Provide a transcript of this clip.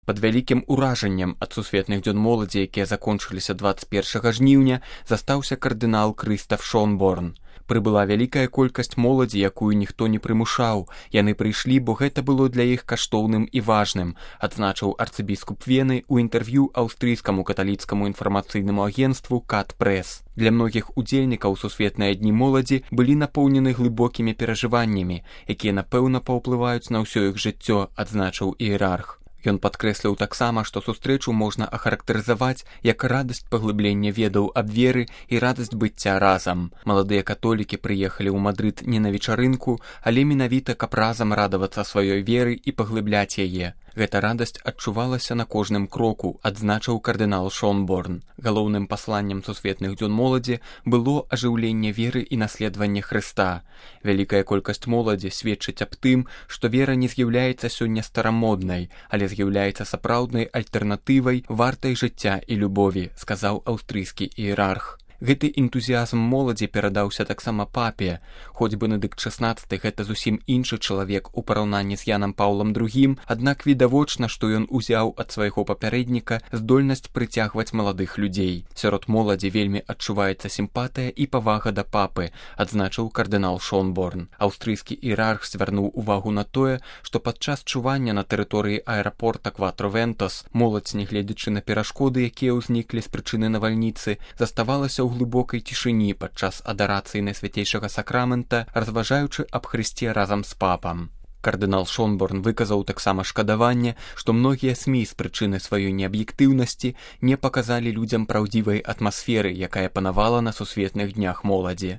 Пад вялікім уражаннем ад сусветных дзён моладзі, якія закончыліся 21 жніўня, застаўся кардынал Крыстаф Шонборн. Прыбыла вялікая колькасць моладзі, якую ніхто не прымушаў. Яны прыйшлі, бо гэта было для іх каштоўным і важным, адзначыў арцыбіскуп Вены ў інтэрв'ю аўстрыйскаму каталіцкаму інфармацыйнаму агенцтву «Кат Прэс». Для многіх удзельнікаў сусветныя дні моладзі былі напоўнены глыбокімі перажываннямі, якія, напэўна, паўплываюць на ўсё іх жыццё, адзначыў іерарх. Ён падкрэсліў таксама, што сустрэчу можна ахарактарызаваць як радасць паглыблення ведаў аб веры і радасць быцця разам. Маладыя католікі прыехалі ў Мадрыд не на вечарынку, але менавіта каб разам радавацца сваёй веры і паглыбляць яе. Гэта радасць адчувалася на кожным кроку, адзначыў кардынал Шонборн. Галоўным пасланнем сусветных дзён моладзі было ажыўленне веры і наследаванне Хрыста. Вялікая колькасць моладзі сведчыць аб тым, што вера не з'яўляецца сёння старамоднай, але з'яўляецца сапраўднай альтэрнатывай, вартай жыцця і любові, сказаў аўстрыйскі іерарх. Гэты энтузіязм моладзі перадаўся таксама папе. Хоць Бенедыкт XVI гэта зусім іншы чалавек у параўнанні з Янам Паўлам II, аднак відавочна, што ён узяў ад свайго папярэдніка здольнасць прыцягваць маладых людзей. Сярод моладзі вельмі адчуваецца сімпатыя і павага да папы, адзначыў кардынал Шонборн. Аўстрыйскі іерарх звярнуў увагу на тое, што падчас чування на тэрыторыі аэрапорта Кватро-Вентос моладзь, нягледзячы на перашкоды, якія ўзніклі з прычыны навальніцы, заставалася ў глыбокай цішыні падчас адарацыі Найсвяцейшага сакрамента, разважаючы аб Хрысце разам з папам. Кардынал Шонборн выказаў таксама шкадаванне, што многія СМІ з прычыны сваёй неаб'ектыўнасці не паказалі людзям праўдзівай атмасферы, якая панавала на сусветных днях моладзі.